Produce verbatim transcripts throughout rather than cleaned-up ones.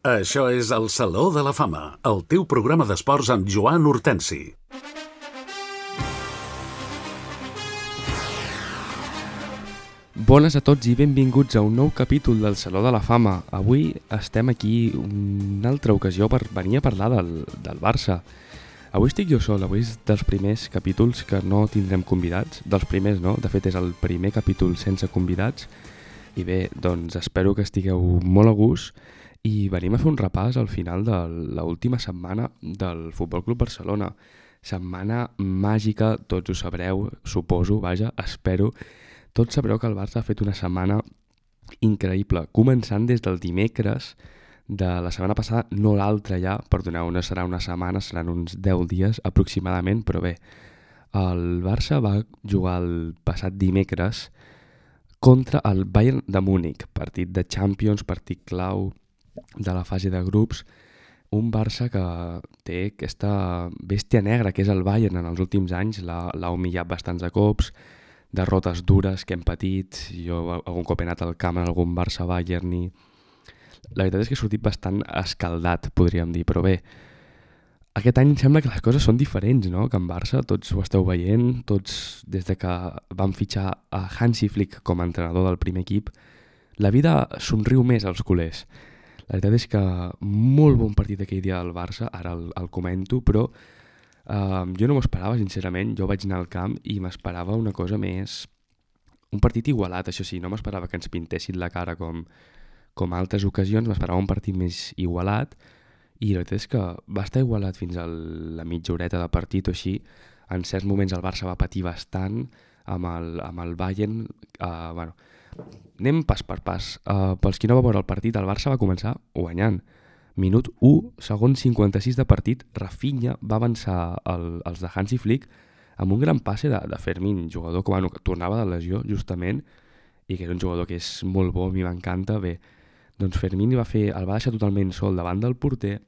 Això és el Saló de la Fama, el teu programa d'esports amb Joan Hortensi. Bones a tots i benvinguts a un nou capítol del Saló de la Fama. Avui estem aquí una altra ocasió per venir a parlar del, del Barça. Avui estic jo sol, avui és dels primers capítols que no tindrem convidats. Dels primers no, de fet és el primer capítol sense convidats. I bé, doncs espero que estigueu molt a gust i venim a fer un repàs al final de l'última setmana del Futbol Club Barcelona. Setmana màgica, tots ho sabreu, suposo, vaja, espero. Tots sabreu que el Barça ha fet una setmana increïble, començant des del dimecres de la setmana passada, no l'altra ja, perdoneu, no serà una setmana, seran uns deu dies aproximadament, però bé, el Barça va jugar el passat dimecres contra el Bayern de Múnich, partit de Champions, partit clau de la fase de grups, un Barça que té aquesta bèstia negra que és el Bayern en els últims anys, l'ha humillat bastants de cops, derrotes dures que hem patit, jo algun cop he anat al camp en algun Barça-Bayern i la veritat és que he sortit bastant escaldat, podríem dir, però bé, aquest any sembla que les coses són diferents, no? Que en Barça tots ho esteu veient, tots des de que van fitxar a Hansi Flick com a entrenador del primer equip, la vida somriu més als culers. La veritat és que molt bon partit aquell dia del Barça, ara el, el comento, però uh, jo no m'ho esperava, sincerament. Jo vaig anar al camp i m'esperava una cosa més... Un partit igualat, això sí, no m'esperava que ens pintessin la cara com, com altres ocasions, m'esperava un partit més igualat i la veritat és que va estar igualat fins a la mitja horeta de partit o així. En certs moments el Barça va patir bastant amb el, amb el Bayern. Uh, bueno, anem pas per pas. Uh, pels qui no va veure el partit, el Barça va començar guanyant. Minut u, segon cinquanta-sis de partit, Rafinha va avançar el, els de Hansi Flick amb un gran passe de, de Fermín, jugador que, bueno, que tornava de lesió justament i que era un jugador que és molt bo, a mi m'encanta. Bé, doncs Fermín va fer, el va deixar totalment sol davant del porter,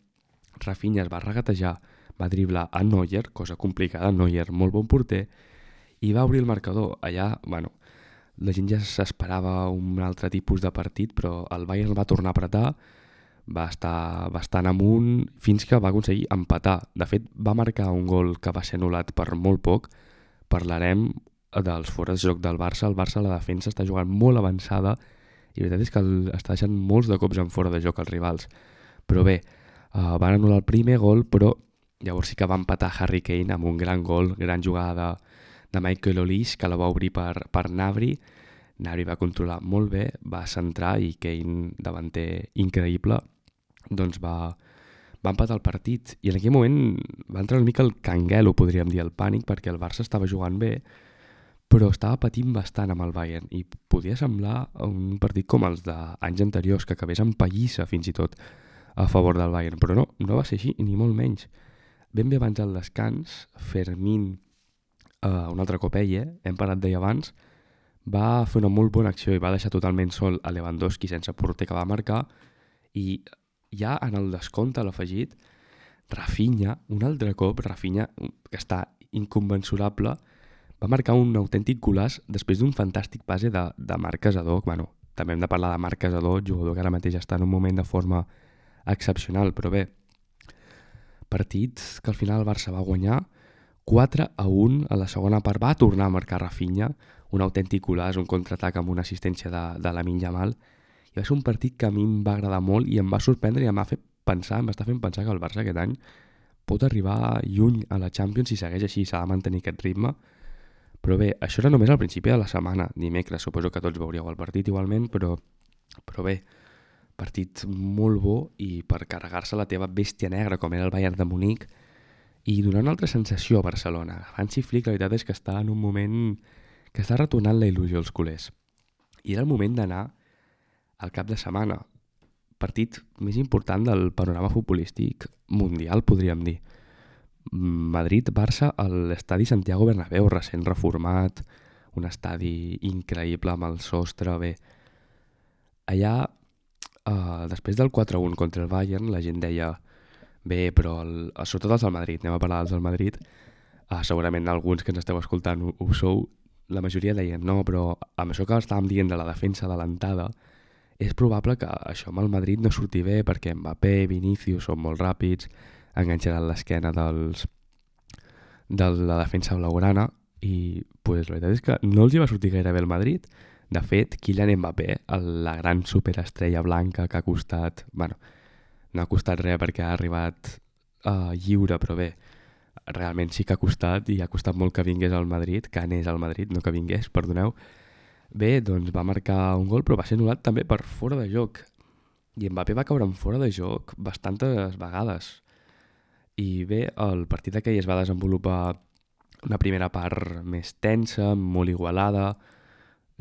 Rafinha es va regatejar, va driblar a Neuer, cosa complicada, Neuer, molt bon porter, i va obrir el marcador. Allà, bueno, la gent ja s'esperava un altre tipus de partit, però el Bayern el va tornar a apretar, va estar bastant amunt fins que va aconseguir empatar. De fet, va marcar un gol que va ser anul·lat per molt poc. Parlarem dels fores de joc del Barça. El Barça, la defensa, està jugant molt avançada i la veritat és que el, està deixant molts de cops en fora de joc als rivals. Però bé, uh, van anul·lar el primer gol, però llavors sí que va empatar Harry Kane amb un gran gol, gran jugada de, de Michael Olise, que la va obrir per, per Gnabry. Gnabry va controlar molt bé, va centrar i Kane, davanter increïble, doncs va, va empatar el partit. I en aquell moment va entrar una mica el canguelo, podríem dir, el pànic, perquè el Barça estava jugant bé, però estava patint bastant amb el Bayern i podia semblar un partit com els d'anys anteriors, que acabés amb pallissa fins i tot a favor del Bayern, però no, no va ser així, ni molt menys. Ben bé abans del descans, Fermín, uh, un altre cop ell, eh? hem parlat d'ell abans, va fer una molt bona acció i va deixar totalment sol a Lewandowski sense porter, que va marcar, i ja en el descompte a l'afegit, Rafinha, un altre cop, Rafinha, que està inconmensurable, va marcar un autèntic golaç després d'un fantàstic base de, de Marc Casador. Bueno, també hem de parlar de Marc Casador, jugador que ara mateix està en un moment de forma excepcional, però bé, partit que al final el Barça va guanyar quatre a un a la segona part, va tornar a marcar Rafinha, un autèntic golaç, un contraatac amb una assistència de, de Lamine Yamal, i va ser un partit que a mi em va agradar molt i em va sorprendre i em va fer pensar, em va estar fent pensar que el Barça aquest any pot arribar lluny a la Champions si segueix així, s'ha de mantenir aquest ritme. Però bé, això era només al principi de la setmana, dimecres, suposo que tots veuríeu el partit igualment, però, però bé, partit molt bo i per carregar-se la teva bèstia negra com era el Bayern de Múnich i donar una altra sensació a Barcelona. Hansi Flick, la veritat és que està en un moment que està retornant la il·lusió als culers. I era el moment d'anar al cap de setmana, partit més important del panorama futbolístic mundial, podríem dir. Madrid-Barça a l'estadi Santiago Bernabéu, recent reformat, un estadi increïble amb el sostre, bé. Allà, eh, després del quatre a un contra el Bayern, la gent deia, bé, però el, sobretot els del Madrid, anem a parlar dels del Madrid, eh, segurament alguns que ens esteu escoltant ho, ho sou, la majoria deien, no, però amb això que estàvem dient de la defensa adelantada, és probable que això amb el Madrid no surti bé perquè Mbappé, Vinícius són molt ràpids, enganxaran l'esquena dels, de la defensa blaugrana i pues, la veritat és que no els hi va sortir gaire bé el Madrid. De fet, Kylian Mbappé, la gran superestrella blanca que ha costat... bueno, no ha costat res perquè ha arribat uh, lliure, però bé, realment sí que ha costat i ha costat molt que vingués al Madrid, que anés al Madrid, no que vingués, perdoneu. Bé, doncs va marcar un gol, però va ser anul·lat també per fora de joc. I Mbappé va caure en fora de joc bastantes vegades. I bé, el partit aquell es va desenvolupar una primera part més tensa, molt igualada,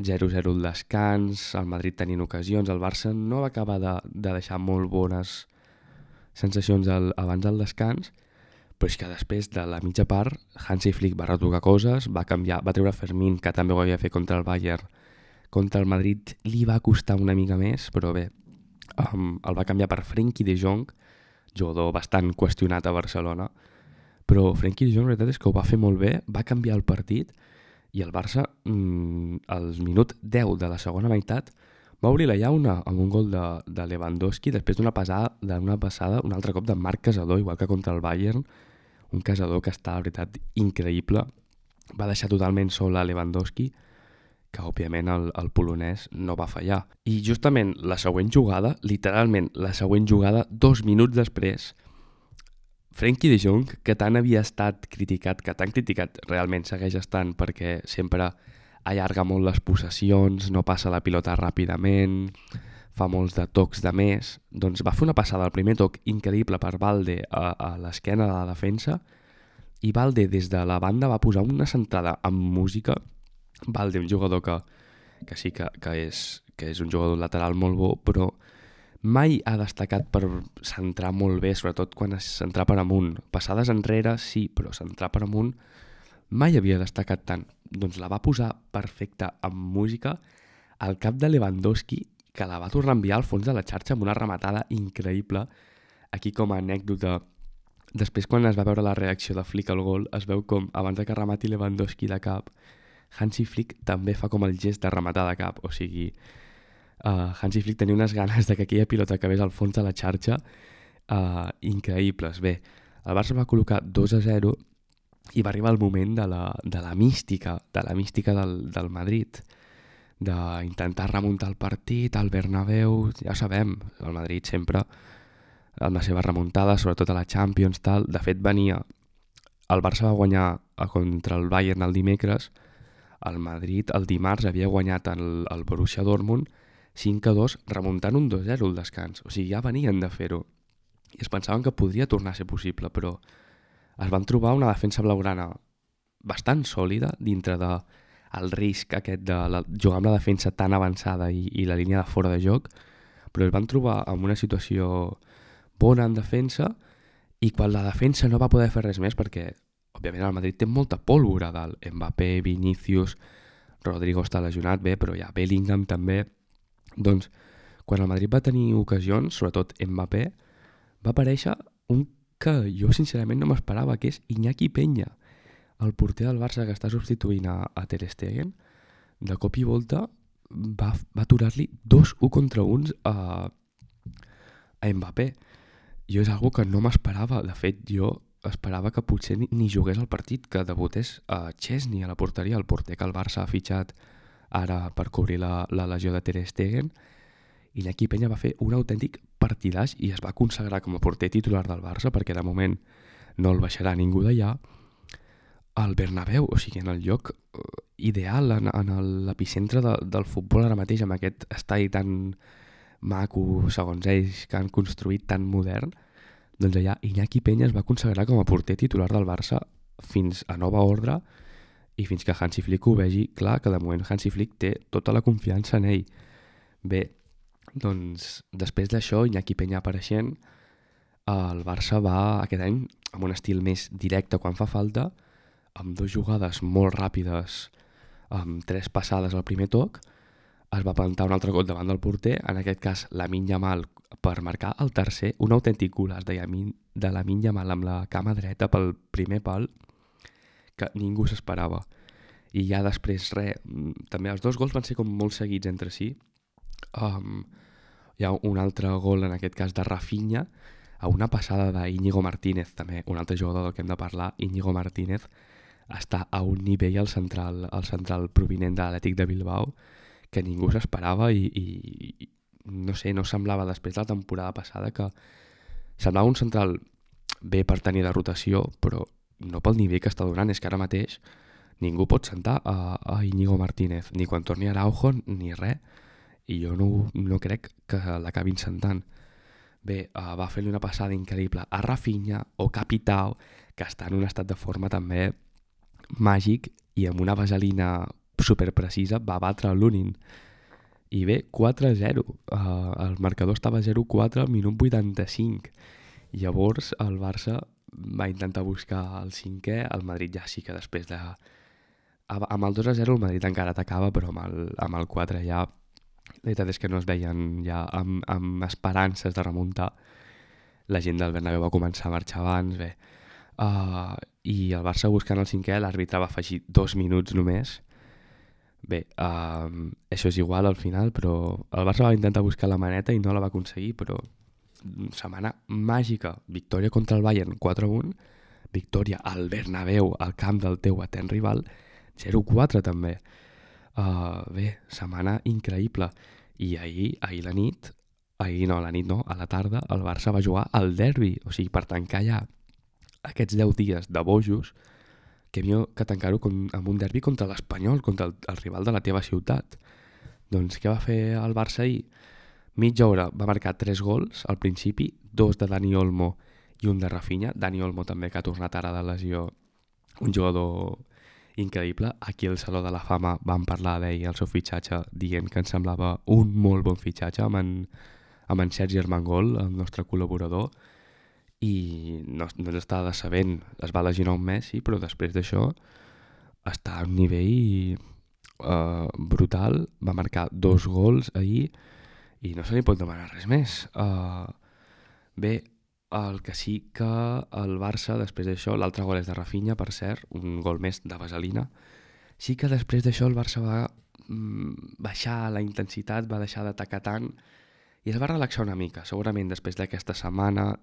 zero zero al descans, el Madrid tenint ocasions, el Barça no va acabar de, de deixar molt bones sensacions al, abans del descans, però és que després de la mitja part Hansi Flick va retocar coses, va canviar, va treure Fermín, que també ho havia fet contra el Bayern, contra el Madrid li va costar una mica més, però bé, um, el va canviar per Frenkie de Jong, jugador bastant qüestionat a Barcelona, però Frenkie de Jong la veritat és que ho va fer molt bé, va canviar el partit i el Barça mmm, al minut deu de la segona meitat va obrir la llauna amb un gol de, de Lewandowski després d'una passada, d'una passada un altre cop de Marc Casador, igual que contra el Bayern, un Casador que està, la veritat, increïble. Va deixar totalment sol a Lewandowski, que òbviament el, el polonès no va fallar. I justament la següent jugada, literalment la següent jugada, dos minuts després, Frenkie de Jong, que tant havia estat criticat, que tan criticat realment segueix estant perquè sempre allarga molt les possessions, no passa la pilota ràpidament, fa molts de tocs de més, doncs va fer una passada al primer toc increïble per Balde a, a l'esquena de la defensa i Balde des de la banda va posar una centrada amb música. Balde, un jugador que, que sí que, que, és, que és un jugador lateral molt bo, però mai ha destacat per centrar molt bé, sobretot quan es centrar per amunt. Passades enrere sí, però centrar per amunt mai havia destacat tant. Doncs la va posar perfecta amb música al cap de Lewandowski, que la va tornar a enviar al fons de la xarxa amb una rematada increïble. Aquí com a anècdota, després quan es va veure la reacció de Flick al gol, es veu com abans que remati Lewandowski de cap, Hansi Flick també fa com el gest de rematar de cap, o sigui, uh, Hansi Flick tenia unes ganes de que aquella pilota acabés al fons de la xarxa uh, increïbles. Bé, el Barça va col·locar dos a zero i va arribar el moment de la, de la mística, de la mística del, del Madrid, d'intentar remuntar el partit al Bernabéu. Ja sabem, el Madrid sempre amb la seva remuntada, sobretot a la Champions, tal. De fet, venia... El Barça va guanyar contra el Bayern el dimecres, el Madrid el dimarts havia guanyat el, el Borussia Dortmund cinc a dos, remuntant un dos zero al descans. O sigui, ja venien de fer-ho. I es pensaven que podria tornar a ser possible, però es van trobar una defensa blaugrana bastant sòlida dintre de el risc aquest de la, jugar amb la defensa tan avançada i, i la línia de fora de joc, però es van trobar en una situació bona en defensa i quan la defensa no va poder fer res més perquè, òbviament, el Madrid té molta pólvora dalt. Mbappé, Vinícius, Rodrigo està lesionat, bé, però ja Bellingham també. Doncs, quan el Madrid va tenir ocasions, sobretot Mbappé, va aparèixer un que jo sincerament no m'esperava, que és Iñaki Peña, el porter del Barça que està substituint a, a Ter Stegen. De cop i volta va, va aturar-li dos u contra uns a, a Mbappé. Jo és algo que no m'esperava. De fet, jo esperava que potser ni, ni jugués al partit, que debutés a Chesney a la porteria, el porter que el Barça ha fitxat ara per cobrir la, la legió de Ter Stegen. I Iñaki Peña va fer un autèntic partidàs i es va consagrar com a porter titular del Barça perquè de moment no el baixarà ningú d'allà al Bernabéu, o sigui, en el lloc ideal, en, en l'epicentre de, del futbol ara mateix, amb aquest estadi tan maco, segons ells, que han construït tan modern. Doncs allà Iñaki Peña es va consagrar com a porter titular del Barça fins a nova ordre i fins que Hansi Flick ho vegi clar, que de moment Hansi Flick té tota la confiança en ell. Bé, doncs després d'això, Iñaki Peña apareixent, el Barça va aquest any amb un estil més directe quan fa falta, amb dues jugades molt ràpides, amb tres passades al primer toc, es va plantar un altre cop davant del porter, en aquest cas Lamine Yamal per marcar el tercer, un autèntic golaç de, de Lamine Yamal amb la cama dreta pel primer pal, que ningú s'esperava. I ja després, res, també els dos gols van ser com molt seguits entre si. Um, Hi ha un altre gol, en aquest cas de Rafinha, a una passada d'Íñigo Martínez, també un altre jugador del que hem de parlar. Íñigo Martínez està a un nivell al central, al central provinent de l'Atlètic de Bilbao que ningú s'esperava i, i, i no sé, no semblava després de la temporada passada que semblava un central bé per tenir de rotació, però no pel nivell que està donant. És que ara mateix ningú pot sentar a, a Íñigo Martínez, ni quan torni Araujo ni res, i jo no, no crec que l'acabin sentant. Bé, uh, va fer-li una passada increïble a Rafinha o Capitao, que està en un estat de forma també màgic i amb una vaselina superprecisa va batre l'Unin. I bé, quatre a zero. Uh, el marcador estava zero quatre al minut vuitanta-cinc. Llavors el Barça va intentar buscar el cinquè, el Madrid ja sí que després de... Amb el dos a zero el Madrid encara atacava, però amb el, amb el quatre ja... La veritat és que no es veien ja amb, amb esperances de remuntar. La gent del Bernabéu va començar a marxar abans, bé. Uh, I el Barça buscant el cinquè, l'àrbitre va afegir dos minuts només. Bé, uh, això és igual al final, però el Barça va intentar buscar la maneta i no la va aconseguir, però setmana màgica. Victòria contra el Bayern quatre a un, victòria al Bernabéu, al camp del teu etern rival, zero quatre també. Uh, bé, setmana increïble. I ahir, ahir la nit, ahir no, la nit no, a la tarda, el Barça va jugar al derbi. O sigui, per tancar ja aquests deu dies de bojos, que millor que tancar-ho amb un derbi contra l'Espanyol, contra el, el rival de la teva ciutat. Doncs què va fer el Barça ahir? Mitja hora va marcar tres gols al principi, dos de Dani Olmo i un de Rafinha. Dani Olmo també, que ha tornat ara de lesió, un jugador increïble. Aquí al Saló de la Fama vam parlar d'ell, el seu fitxatge, dient que ens semblava un molt bon fitxatge amb en, amb en Sergi Armengol, el nostre col·laborador, i no, no ens està decebent. Es va lesionar un mes, sí, però després d'això està a un nivell uh, brutal. Va marcar dos gols ahir i no se li pot demanar res més. Uh, bé, el que sí que el Barça, després d'això, l'altre gol és de Rafinha, per cert, un gol més de vaselina. Sí que després d'això el Barça va mm, baixar la intensitat, va deixar d'atacar tant i es va relaxar una mica. Segurament després d'aquesta setmana,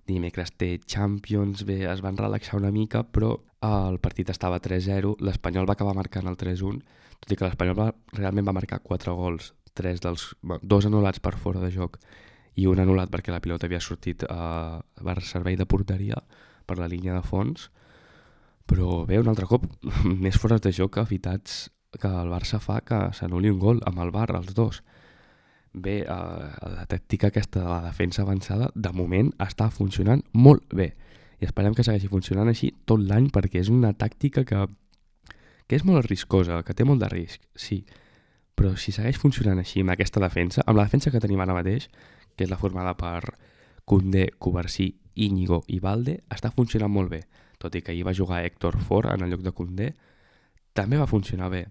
dimecres té Champions, bé, es van relaxar una mica, però el partit estava tres a zero, l'Espanyol va acabar marcant el tres a un, tot i que l'Espanyol va, realment va marcar quatre gols, tres dels, dos anul·lats per fora de joc i un anul·lat perquè la pilota havia sortit a uh, servei de porteria per la línia de fons. Però bé, un altre cop, més fora de joc que evitats que el Barça fa que s'anul·li un gol amb el V A R, els dos. Bé, uh, la tàctica aquesta de la defensa avançada, de moment està funcionant molt bé. I esperem que segueixi funcionant així tot l'any, perquè és una tàctica que, que és molt riscosa, que té molt de risc, sí. Però si segueix funcionant així amb aquesta defensa, amb la defensa que tenim ara mateix, que és la formada per Koundé, Cubarsí, Íñigo i Balde, està funcionant molt bé. Tot i que ahir va jugar Héctor Ford en el lloc de Koundé, també va funcionar bé.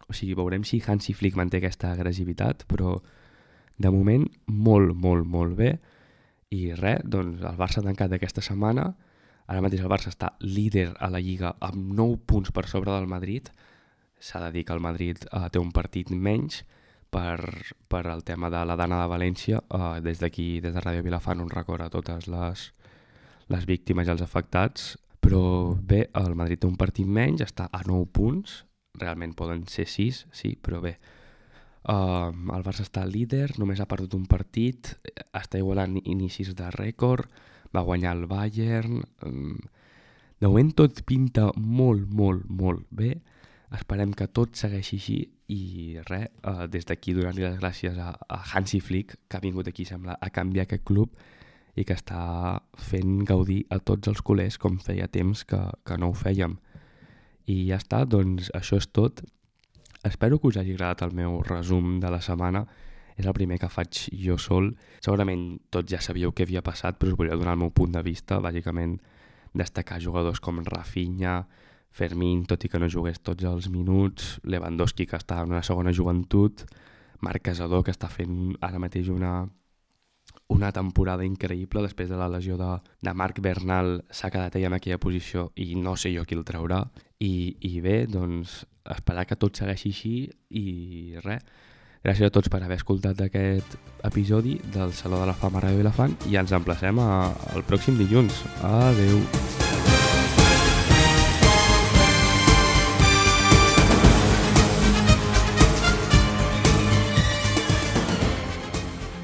O sigui, veurem si Hansi Flick manté aquesta agressivitat, però de moment molt, molt, molt bé. I res, doncs el Barça ha tancat aquesta setmana. Ara mateix el Barça està líder a la Lliga amb nou punts per sobre del Madrid. S'ha de dir que el Madrid uh, té un partit menys per, per el tema de la Dana de València. Uh, des d'aquí, des de Ràdio Vilafant, un record a totes les, les víctimes i els afectats. Però bé, el Madrid té un partit menys, està a nou punts. Realment poden ser sis, sí, però bé. Uh, el Barça està líder, només ha perdut un partit, està igualant inicis de rècord, va guanyar el Bayern. Um, de moment tot pinta molt, molt, molt bé. Esperem que tot segueixi així i res, uh, des d'aquí donar-li les gràcies a, a Hansi Flick, que ha vingut aquí, sembla, a canviar aquest club i que està fent gaudir a tots els culers com feia temps que, que no ho fèiem. I ja està, doncs això és tot. Espero que us hagi agradat el meu resum de la setmana. És el primer que faig jo sol. Segurament tots ja sabíeu què havia passat, però us volia donar el meu punt de vista. Bàsicament destacar jugadors com Rafinha, Fermín, tot i que no jugués tots els minuts, Lewandowski, que està en una segona joventut, Marc Casador, que està fent ara mateix una, una temporada increïble. Després de la lesió de, de Marc Bernal s'ha quedat ell en aquella posició i no sé jo qui el traurà. I, i bé, doncs esperar que tot segueixi així i res, Gràcies a tots per haver escoltat aquest episodi del Saló de la Fama Ràdio Vilafant i ens emplacem a, al pròxim dilluns. Adeu!